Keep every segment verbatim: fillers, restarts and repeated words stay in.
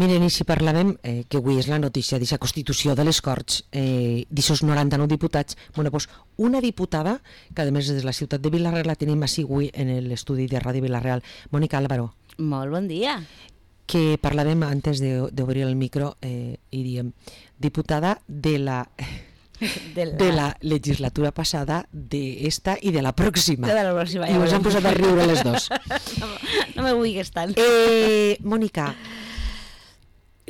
Miren, i si parlàvem, eh, que avui és la notícia d'aquesta Constitució de les Corts, eh, d'aquests noranta-nou diputats, bueno, pues una diputada, que a més és de la ciutat de Vila-real, la tenim així avui en l'estudi de Ràdio Vila-real, Mònica Álvaro. Molt bon dia. Que parlàvem antes d'obrir el micro eh, i diem, diputada de la... De la... de la legislatura passada, d'esta i de la pròxima. De la pròxima. I ens han posat a riure les dos. No, no me vulguis tant. Eh, Mònica,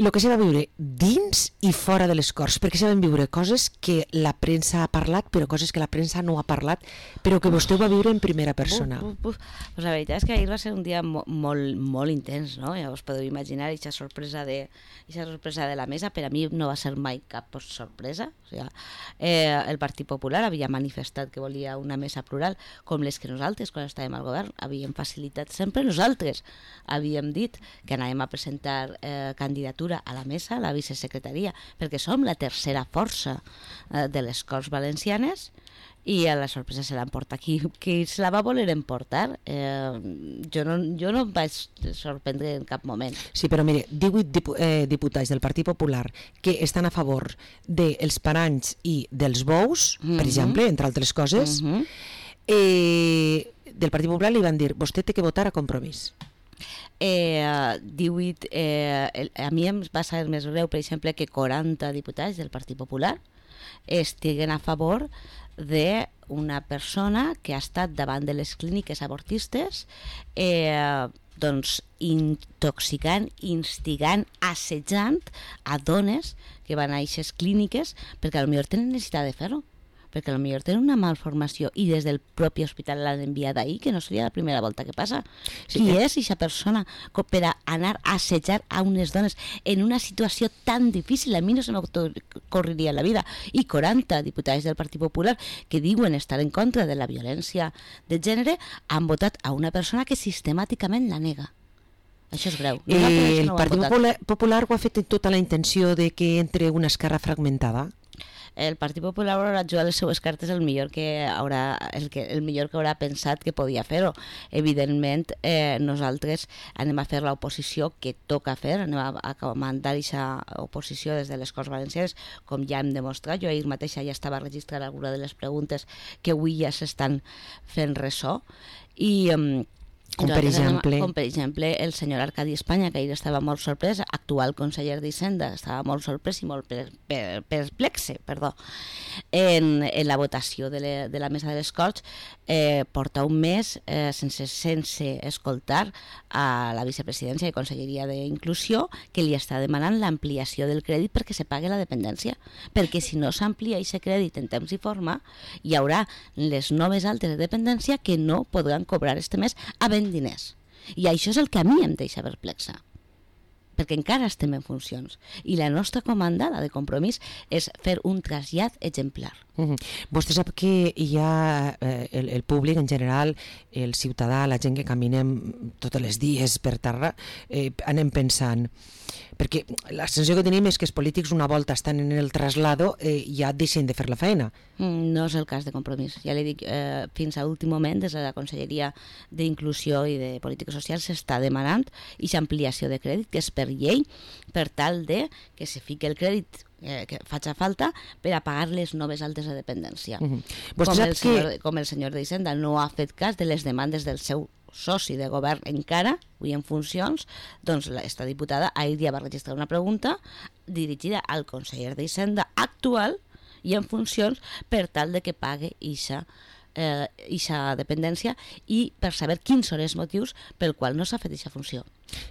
el que se va viure dins i fora de les Corts, perquè se van viure coses que la premsa ha parlat, però coses que la premsa no ha parlat, però que vostè ho va viure en primera persona. Uf, uf, uf. Pues la veritat és que ahir va ser un dia mo molt, molt intens, no? Ja us podeu imaginar aquesta sorpresa de, aquesta sorpresa de la mesa. Per a mi no va ser mai cap sorpresa. O sigui, eh, el Partit Popular havia manifestat que volia una mesa plural, com les que nosaltres, quan estàvem al govern, havíem facilitat sempre. Nosaltres havíem dit que anàvem a presentar eh, candidatura a la mesa, a la vicesecretaria, perquè som la tercera força eh, de les Corts Valencianes, i a la sorpresa se l'emporta qui, qui se la va voler emportar. Eh, jo, no, jo no em vaig sorprendre en cap moment. Sí, però mire, divuit dipu eh, diputats del Partit Popular que estan a favor dels paranys i dels bous, mm -hmm. per exemple, entre altres coses, mm -hmm. eh, del Partit Popular li van dir, vostè té que votar a Compromís. Eh, divuit, eh, a mi em va ser més greu, per exemple, que quaranta diputats del Partit Popular estiguen a favor d'una persona que ha estat davant de les clíniques abortistes, eh, doncs intoxicant, instigant, assetjant a dones que van a aquestes clíniques, perquè potser tenen necessitat de fer-ho, perquè potser tenen una malformació i des del propi hospital l'han enviat ahir, que no seria la primera volta que passa. Sí, Qui eh? és aquesta persona per a anar a assetjar a unes dones en una situació tan difícil? A mi no se m'ocorreria en la vida. I quaranta diputats del Partit Popular que diuen estar en contra de la violència de gènere han votat a una persona que sistemàticament la nega. Això és greu. Eh, el no Partit Popular, Popular ho ha fet tota la intenció de que entre una esquerra fragmentada? El Partit Popular haurà jugat les seues cartes el millor que haurà, el, que, el millor que haurà pensat que podia fer-ho. Evidentment, eh, nosaltres anem a fer l'oposició que toca fer, anem a, a comandar aquesta oposició des de les Corts Valencianes, com ja hem demostrat. Jo ahir mateixa ja estava registrant alguna de les preguntes que avui ja s'estan fent ressò. I... Eh, Com per, exemple... com per exemple el senyor Arcadi Espanya, que ahir estava molt sorprès, actual conseller d'Hisenda, estava molt sorprès i molt perplexe, perdó, en, en la votació de, le, de la mesa de les Corts. Eh, porta un mes eh, sense, sense escoltar a la vicepresidència i conselleria d'Inclusió, que li està demanant l'ampliació del crèdit perquè se pagui la dependència, perquè si no s'amplia aquest crèdit en temps i forma, hi haurà les noves altes de dependència que no podran cobrar este mes havent diners. I això és el que a mi em deixa perplexa, perquè encara estem en funcions i la nostra comanda, la de Compromís, és fer un trasllat exemplar. Uh-huh. Vostè sap que hi ha eh, el, el públic en general, el ciutadà, la gent que caminem tots els dies per terra, eh, anem pensant, perquè la sensació que tenim és que els polítics una volta estan en el traslado eh, ja deixen de fer la feina. Mm, no és el cas de Compromís. Ja li dic, eh, fins a l'últim moment, des de la Conselleria d'Inclusió i de Política Social s'està demanant aquesta ampliació de crèdit, que és per llei, per tal de que se fiqui el crèdit eh, que faci falta per a pagar les noves altes de dependència. Uh-huh. com, el senyor, que... com el senyor d'Hisenda no ha fet cas de les demandes del seu soci de govern encara, avui en funcions, doncs esta diputada ahir ja va registrar una pregunta dirigida al conseller d'Hisenda actual i en funcions per tal de que pague ixa eh, ixa dependència i per saber quins són els motius pel qual no s'ha fet ixa funció.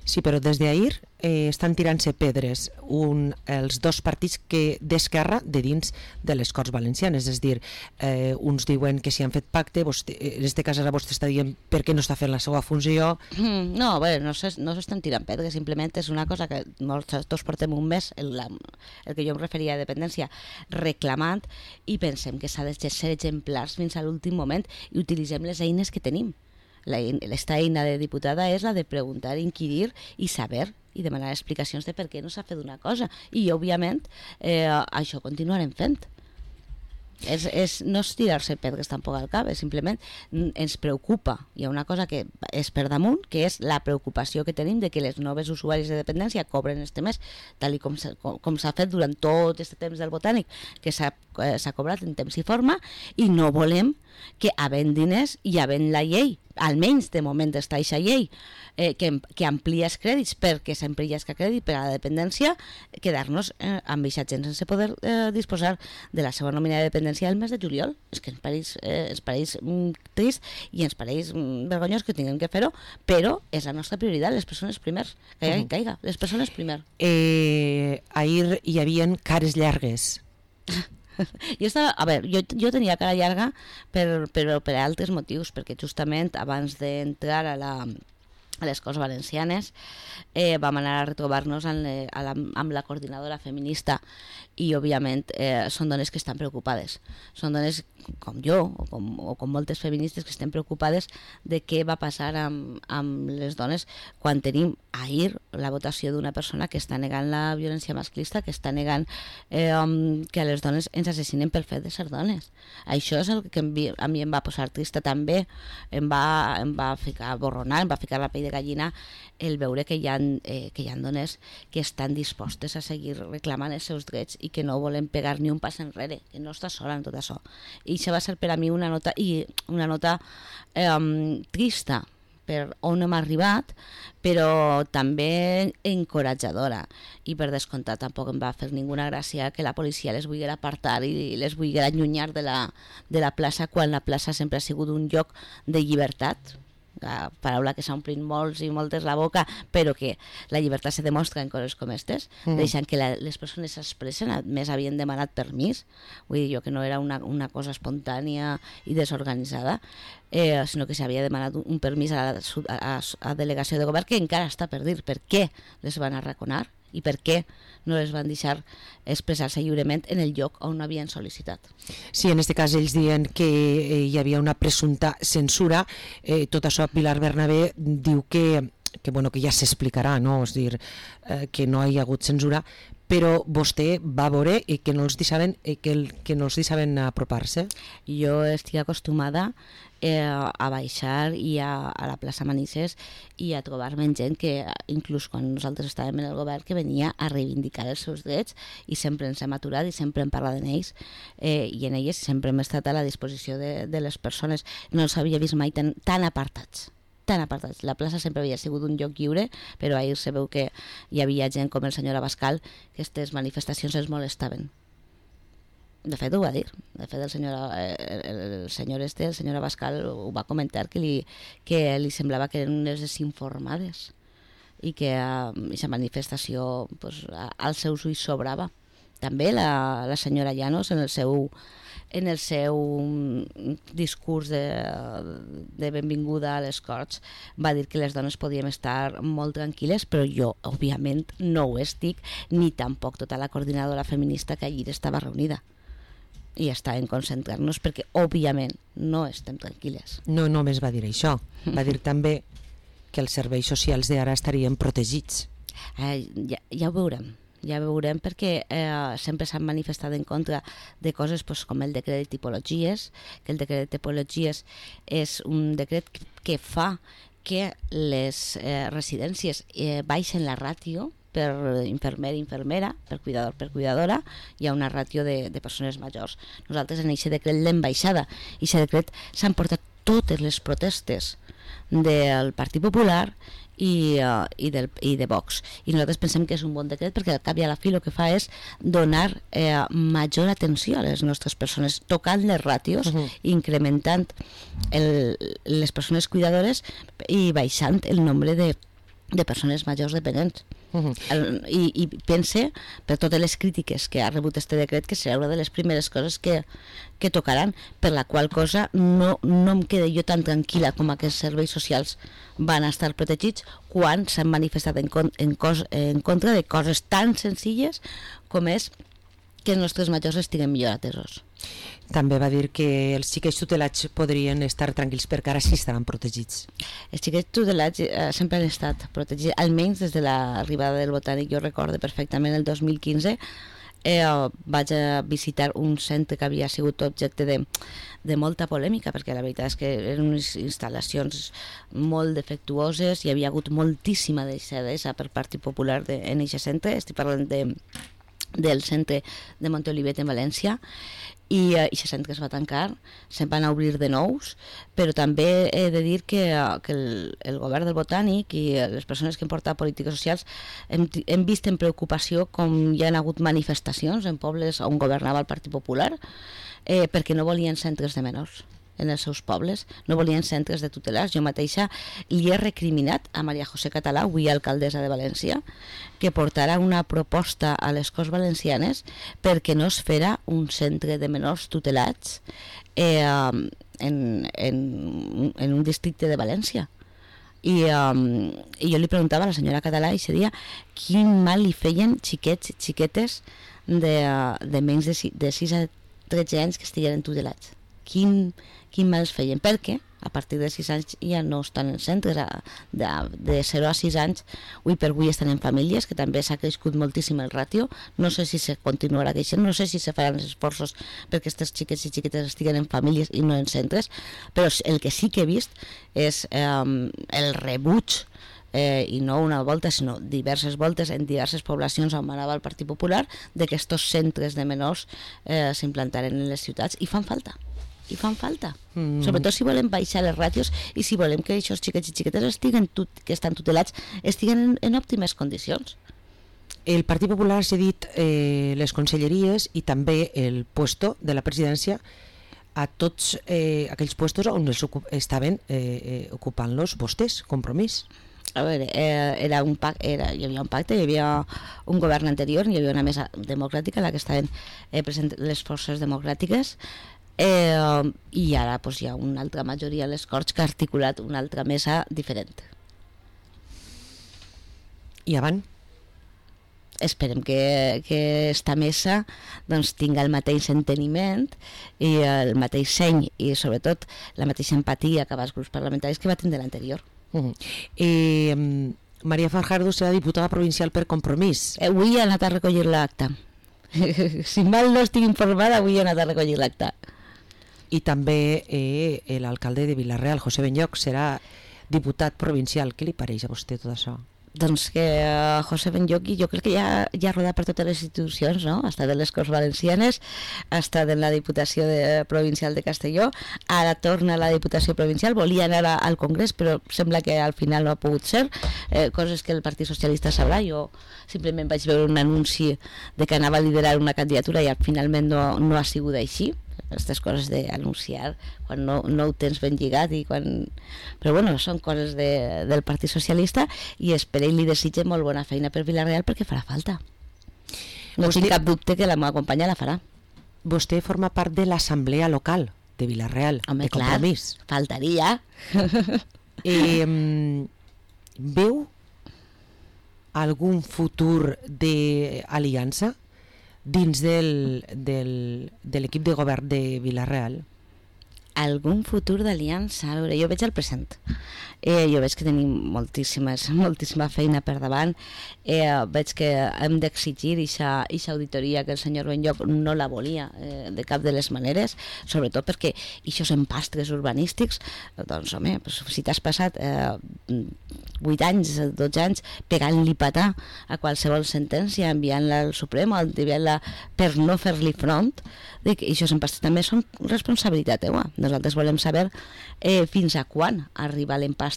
Sí, però des d'ahir eh, estan tirant-se pedres un, els dos partits que d'esquerra de dins de les Corts Valencianes, és a dir, eh, uns diuen que si han fet pacte, vostè, en aquest cas ara vostè està dient per què no està fent la seva funció. Mm, no, bé, no s'estan no tirant pedres, simplement és una cosa que nosaltres portem un mes, el, la, el que jo em referia a dependència, reclamant, i pensem que s'ha de ser exemplars fins a l'últim moment i utilitzem les eines que tenim. L'esta eina de diputada és la de preguntar, inquirir i saber i demanar explicacions de per què no s'ha fet una cosa i òbviament eh, això continuarem fent. És, és, no és tirar-se pedres tampoc al cap, és simplement ens preocupa. Hi ha una cosa que és per damunt, que és la preocupació que tenim de que les noves usuaris de dependència cobren este mes, tal i com s'ha, com s'ha fet durant tot aquest temps del Botànic, que s'ha, s'ha cobrat en temps i forma, i no volem que havent diners i havent la llei, almenys de moment està aquesta llei, eh, que, que amplia els crèdits perquè sempre hi ha crèdit per a la dependència, quedar-nos eh, amb aquesta gent sense poder eh, disposar de la seva nòmina de dependència el mes de juliol. És que ens pareix, eh, ens pareix mm, trist i ens pareix mm, vergonyós que tinguem que fer-ho, però és la nostra prioritat, les persones primers, caiga, uh-huh. caiga, les persones primer. Eh, ahir hi havia cares llargues. Jo, estava, a veure, jo, jo tenia cara llarga per, per, per altres motius, perquè justament abans d'entrar a la a les Corts Valencianes eh, vam anar a retrobar-nos amb, la, amb la coordinadora feminista i òbviament eh, són dones que estan preocupades, són dones com jo o com, o com moltes feministes que estem preocupades de què va passar amb, amb les dones quan tenim ahir la votació d'una persona que està negant la violència masclista, que està negant eh, um, que a les dones ens assassinen pel fet de ser dones. Això és el que a mi em va posar trista també, em va, em va ficar borronar, em va ficar la pell de gallina el veure que hi ha, eh, que hi ha dones que estan dispostes a seguir reclamant els seus drets i que no volen pegar ni un pas enrere, que no està sola en tot això. I això va ser per a mi una nota, i una nota eh, trista per on hem arribat, però també encoratjadora. I per descomptat tampoc em va fer ninguna gràcia que la policia les vulgui apartar i les vulgui allunyar de la, de la plaça quan la plaça sempre ha sigut un lloc de llibertat, la paraula que s'ha omplint molts i moltes la boca, però que la llibertat se demostra en coses com aquestes, mm. deixant que la, les persones s'expressen, més havien demanat permís, vull dir jo que no era una, una cosa espontània i desorganitzada, eh, sinó que s'havia demanat un, un permís a la a, a delegació de govern que encara està per dir per què les van arraconar i per què no les van deixar expressar-se lliurement en el lloc on havien sol·licitat. Sí, en aquest cas ells diuen que eh, hi havia una presumpta censura. Eh, tot això Pilar Bernabé diu que, que, bueno, que ja s'explicarà, no? És dir, eh, que no hi ha hagut censura, però vostè va veure i que no els deixaven, que, el, que no els deixaven apropar-se. Jo estic acostumada eh, a baixar i a, a la plaça Manises i a trobar-me amb gent que, inclús quan nosaltres estàvem en el govern, que venia a reivindicar els seus drets i sempre ens hem aturat i sempre hem parlat d'ells eh, i en elles sempre hem estat a la disposició de, de les persones. No els havia vist mai tan, tan apartats. tan apartats. La plaça sempre havia sigut un lloc lliure, però ahir se veu que hi havia gent com el senyor Abascal que aquestes manifestacions els molestaven. De fet ho va dir, de fet el senyor, el, el senyor este, el senyor Abascal ho va comentar, que li, que li semblava que eren unes desinformades i que aquesta uh, manifestació pues, als seus ulls sobrava. També la, la senyora Llanos en el seu en el seu discurs de, de benvinguda a les Corts va dir que les dones podíem estar molt tranquil·les, però jo òbviament no ho estic, ni tampoc tota la coordinadora feminista que allí estava reunida i estàvem concentrant-nos perquè òbviament no estem tranquil·les. No només va dir això, va dir també que els serveis socials d'ara estarien protegits. Eh, ja, ja ho veurem. Ja veurem perquè eh, sempre s'han manifestat en contra de coses pues, com el decret de tipologies, que el decret de tipologies és un decret que fa que les eh, residències eh, baixen la ràtio per infermer i infermera, per cuidador per cuidadora, hi ha una ràtio de, de persones majors. Nosaltres en aquest decret l'hem baixada i aquest decret s'han portat totes les protestes del Partit Popular i, uh, i, del, i de Vox, i nosaltres pensem que és un bon decret perquè al cap i a la fi el que fa és donar eh, major atenció a les nostres persones, tocant les ràtios, uh-huh. incrementant el, les persones cuidadores i baixant el nombre de, de persones majors dependents. Uh-huh. el, i, i pense, per totes les crítiques que ha rebut este decret, que serà una de les primeres coses que, que tocaran, per la qual cosa no, no em quedo jo tan tranquil·la com aquests serveis socials van estar protegits quan s'han manifestat en, en, cos, en contra de coses tan senzilles com és que els nostres majors estiguen millor atesos. També va dir que els xiquets tutelats podrien estar tranquils perquè ara sí estaran protegits. Els xiquets tutelats eh, sempre han estat protegits, almenys des de l'arribada del Botànic. Jo recordo perfectament el dos mil quinze eh, vaig a visitar un centre que havia sigut objecte de, de molta polèmica, perquè la veritat és que eren unes instal·lacions molt defectuoses, hi havia hagut moltíssima deixadesa per Partit Popular de, en aquest centre. Estic parlant de, del centre de Montolivet en València, i aquest centre es va tancar, se'n van a obrir de nous, però també he de dir que, que el, el govern del Botànic i les persones que han portat polítiques socials hem, hem vist en preocupació com hi ha hagut manifestacions en pobles on governava el Partit Popular, eh, perquè no volien centres de menors en els seus pobles, no volien centres de tutelars. Jo mateixa li he recriminat a Maria José Català, avui alcaldessa de València, que portarà una proposta a les Corts Valencianes perquè no es farà un centre de menors tutelats eh, en, en, en un districte de València. I, um, i jo li preguntava a la senyora Català i seria quin mal li feien xiquets i xiquetes de, de menys de, de sis a tretze anys que estigueren tutelats. Quin, quin mal es feien, perquè a partir de sis anys ja no estan en centres, de, de zero a sis anys avui per avui estan en famílies, que també s'ha crescut moltíssim el ràtio. No sé si se continuarà creixent, no sé si se faran els esforços perquè aquestes xiquets i xiquetes estiguen en famílies i no en centres, però el que sí que he vist és eh, el rebuig, Eh, i no una volta sinó diverses voltes en diverses poblacions on anava el Partit Popular, de que estos centres de menors eh, s'implantaran en les ciutats, i fan falta i fan falta, mm. sobretot si volem baixar les ràtios i si volem que aquests xiquets i xiquetes estiguen tut, que estan tutelats estiguen en, en òptimes condicions. El Partit Popular ha cedit eh, les conselleries i també el puesto de la presidència a tots eh, aquells puestos on els estaven eh, eh, ocupant-los vostès, Compromís. A veure, eh, era un pac, era, hi havia un pacte, hi havia un govern anterior, hi havia una mesa democràtica en la que estaven eh, present les forces democràtiques, eh, i ara pues, hi ha una altra majoria a les Corts que ha articulat una altra mesa diferent. I avant? Esperem que, que esta mesa doncs, tinga el mateix enteniment i el mateix seny i sobretot la mateixa empatia cap als grups parlamentaris que va tindre l'anterior. Uh-huh. eh, María Fajardo serà diputada provincial per Compromís. Eh, avui he anat a recollir l'acta. Si mal no estic informada, avui he anat a recollir l'acta. I també eh, l'alcalde de Vila-real, José Benlloch, serà diputat provincial. Què li pareix a vostè tot això? Doncs que uh, José Benlloch, jo crec que ja, ja ha rodat per totes les institucions, no? Ha estat en les Corts Valencianes, ha estat en la Diputació de, Provincial de Castelló, ara torna a la Diputació Provincial, volia anar a, al Congrés, però sembla que al final no ha pogut ser, eh, coses que el Partit Socialista sabrà. Jo simplement vaig veure un anunci de que anava a liderar una candidatura i finalment no, no ha sigut així. Aquestes coses d'anunciar quan no, no ho tens ben lligat i quan... però bueno, són coses de, del Partit Socialista i espero i li desitge molt bona feina per Vila-real perquè farà falta. No vostè, tinc cap dubte que la meva companya la farà. Vostè forma part de l'assemblea local de Vila-real, home, de Compromís. Clar, faltaria. eh, veu algun futur d'aliança dins del, del, de l'equip de govern de Vila-real? Algun futur d'aliança? A veure, jo veig el present. Eh, jo veig que tenim moltíssimes, moltíssima feina per davant. Eh, veig que hem d'exigir aquesta auditoria que el senyor Benlloch no la volia eh, de cap de les maneres, sobretot perquè aquests empastres urbanístics, doncs home, pues, si t'has passat eh, vuit anys, dotze anys pegant-li patà a qualsevol sentència, enviant-la al Suprem o enviant-la per no fer-li front, dic, aquests empastres també són responsabilitat teua. Nosaltres volem saber eh, fins a quan arriba l'empastre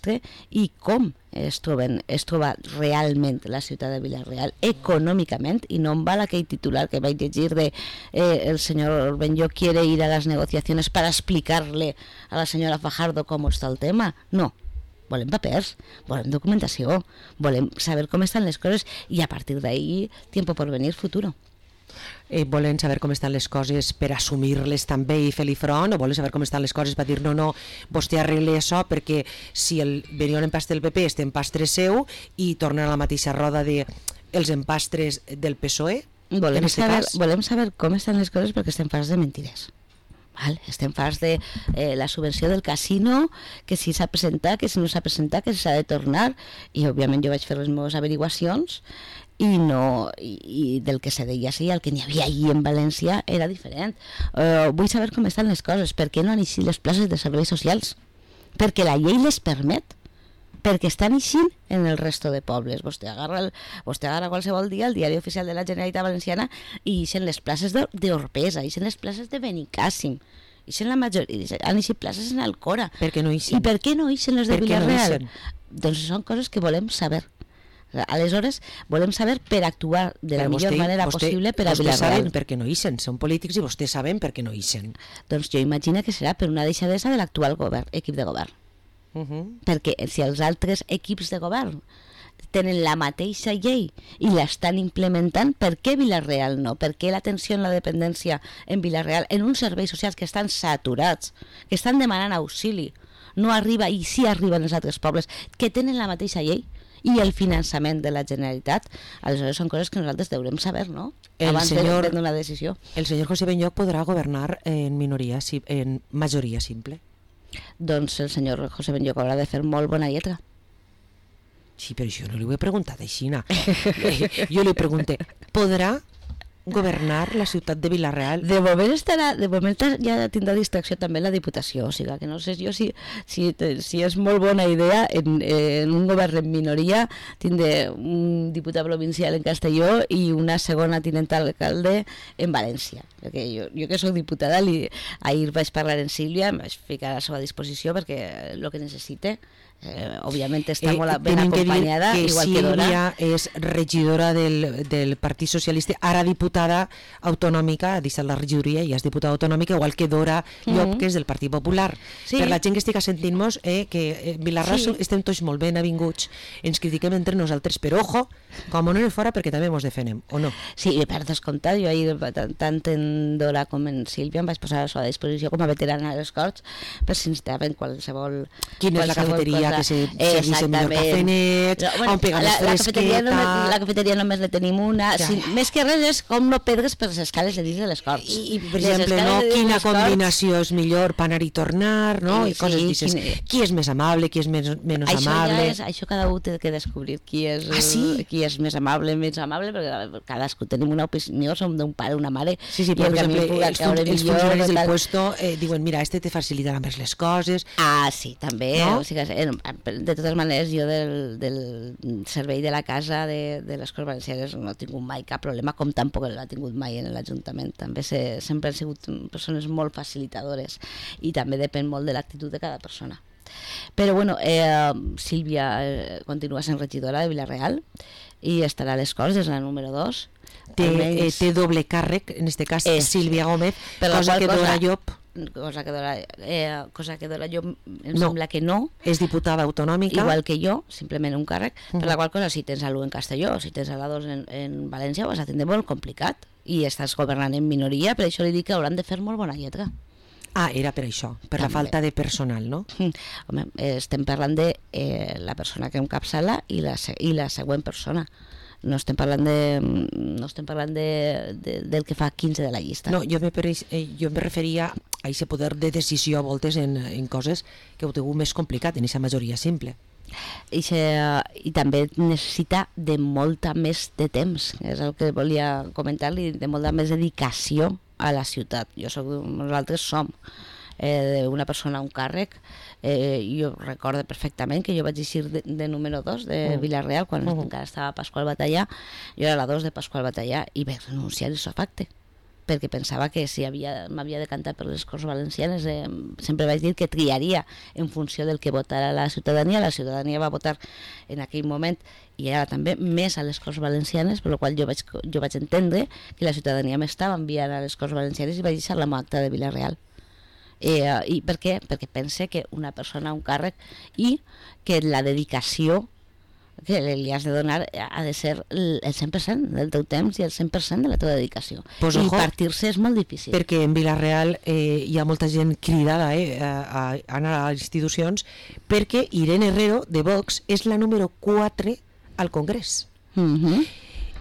i com es, troben, es troba realment la ciutat de Vila-real econòmicament, i no em val aquell titular que vaig llegir de eh, el senyor Benlloch quiere ir a las negociaciones para explicarle a la senyora Fajardo com està el tema. No, volem papers, volem documentació, volem saber com estan les coses i a partir d'ahí tiempo por venir, futuro. Eh, volen saber com estan les coses per assumir-les també i fer-li front, o volen saber com estan les coses per dir no, no, vostè arregle això perquè si el venia un empastre del P P este empastre seu i tornen a la mateixa roda de els empastres del P S O E? Volem, saber, volem saber com estan les coses perquè estem farts de mentides. Val? Estem farts de eh, la subvenció del casino, que si s'ha presentat, que si no s'ha presentat, que si s'ha de tornar, i òbviament jo vaig fer les meves averiguacions i, no, i, i del que se deia sí, el que n'hi havia allí en València era diferent. Uh, vull saber com estan les coses, per què no han eixit les places de serveis socials? Perquè la llei les permet, perquè estan eixint en el resto de pobles. Vostè agarra, el, vostè agarra qualsevol dia el diari oficial de la Generalitat Valenciana i eixen les places d'Orpesa, eixen les places de Benicàssim, eixen la majoria, han eixit places en Alcora. Per què no eixen? I per què no eixen les de Vila-real? No doncs són coses que volem saber. Aleshores, volem saber per actuar de la Però millor vostè, manera vostè, possible per a Vila-real. Vostè saben per què no eixen, són polítics i vostès saben per què no eixen. Doncs jo imagino que serà per una deixadesa de l'actual govern, equip de govern. Uh -huh. Perquè si els altres equips de govern tenen la mateixa llei i l'estan implementant, per què Vila-real no? Per què l'atenció en la dependència en Vila-real, en uns serveis socials que estan saturats, que estan demanant auxili, no arriba, i sí arriben els altres pobles, que tenen la mateixa llei i el finançament de la Generalitat? Aleshores són coses que nosaltres deurem saber, no? El Abans senyor, de prendre una decisió. El senyor José Benlloch podrà governar en minoria, en majoria simple? Doncs el senyor José Benlloch haurà de fer molt bona lletra. Sí, però jo no li ho he preguntat així. Jo li pregunté, podrà governar la ciutat de Vila-real? De moment estarà, de moment ja tindrà distracció també la Diputació, o sigui que no sé jo si, si, si és molt bona idea en, en un govern en minoria tindre un diputat provincial en Castelló i una segona tinenta alcalde en València, perquè jo, jo que soc diputada li, ahir vaig parlar en Sílvia, em vaig ficar a la seva disposició perquè el que necessite. Eh, òbviament està eh, molt ben acompanyada, que igual Sílvia que Dora. Sílvia és regidora del, del Partit Socialista, ara diputada autonòmica, ha deixat la regidoria i és diputada autonòmica, igual que Dora Llop, mm -hmm. que és del Partit Popular. Sí. Per la gent que estic sentint-nos, eh, que Vila-real sí. estem tots molt ben avinguts, ens critiquem entre nosaltres, però ojo, com no anem fora perquè també ens defenem, o no? Sí, per descomptat, jo ahir tant en Dora com en Sílvia em vaig posar a la seva disposició com a veterana a les Corts per si necessitaven qualsevol... Quina és la cafeteria que se servís el millor cafenet, no, bueno, on pegar més fresqueta... La, la cafeteria només la tenim una, ja. Sí, més que res és com no perdres per les escales de dins de les Corts. I, i per exemple, no, quina combinació és millor per anar i tornar, no? I, I coses sí, dices, quin... qui és més amable, qui és menys, menys això amable... Ja és, això cada un té que descobrir qui és, ah, sí? qui és més amable, menys amable, perquè cadascú tenim una opinió, som d'un pare, una mare, sí, sí, i el per exemple, que els, fun els funcionaris del puesto eh, diuen, mira, este te facilitarà més les coses... Ah, sí, també, no? O sigui, de totes maneres, jo del, del servei de la casa de, de les Corts Valencianes no he tingut mai cap problema, com tampoc l'ha tingut mai en l'Ajuntament. També se, sempre han sigut persones molt facilitadores i també depèn molt de l'actitud de cada persona. Però bueno, eh, Sílvia eh, continua sent regidora de Vila-real i estarà a les Corts, és la número dos. Té, eh, té doble càrrec, en aquest cas és, Sílvia Gómez, cosa que Dora Llop... cosa que Dora, eh, cosa que Dora Llop em no, sembla que no. És diputada autonòmica. Igual que jo, simplement un càrrec, uh -huh. per la qual cosa si tens a l'u en Castelló, si tens a la dos en, en València, ho vas a tindre molt complicat i estàs governant en minoria, per això li dic que hauran de fer molt bona lletra. Ah, era per això, per també. La falta de personal, no? Home, estem parlant de eh, la persona que encapçala i la, i la següent persona. No estem parlant de no estem parlant de, de, del que fa quinze de la llista. No, jo me, eh, jo me referia a aquest poder de decisió a voltes en, en coses que ho tingut més complicat, en aquesta majoria simple. I, se, i també necessita de molta més de temps, és el que volia comentar-li, de molta més dedicació a la ciutat. Jo soc, nosaltres som eh, una persona, un càrrec. Eh, jo recordo perfectament que jo vaig eixir de, de número dos de Vila-real quan uh -huh. encara estava Pasqual Batallà. Jo era la dos de Pasqual Batallà i vaig renunciar a l'isofacte perquè pensava que si m'havia de cantar per les Corts Valencianes, eh, sempre vaig dir que triaria en funció del que votara la ciutadania. La ciutadania va votar en aquell moment i ara també més a les Corts Valencianes, per la qual jo vaig, jo vaig entendre que la ciutadania m'estava enviant a les Corts Valencianes i vaig deixar la acta de Vila-real. Eh, I per què? Perquè pense que una persona, un càrrec, i que la dedicació que li has de donar ha de ser el cent per cent del teu temps i el cent per cent de la teva dedicació. Pues I ojo, partir-se és molt difícil. Perquè en Vila-real eh, hi ha molta gent cridada eh, a, a anar a les institucions, perquè Irene Herrero, de Vox, és la número quatre al Congrés. Uh-huh.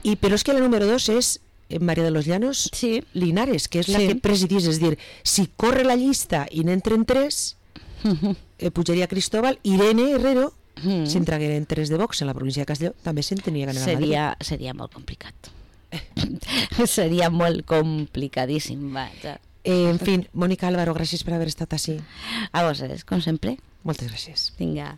I, però és que la número dos és María de los Llanos sí. Linares, que és la sí. que presidís, és dir, si corre la llista i n'entren tres, uh-huh. eh, pujaria Cristóbal, Irene Herrero Mm. si entragueren tres de Vox en la província de Castelló, també se'n tenia que anar seria, a Madrid. seria molt complicat. Seria molt complicadíssim, vaja. Eh, en fin, Mònica Álvaro, gràcies per haver estat així. A vosaltres, com sempre. Moltes gràcies. Vinga.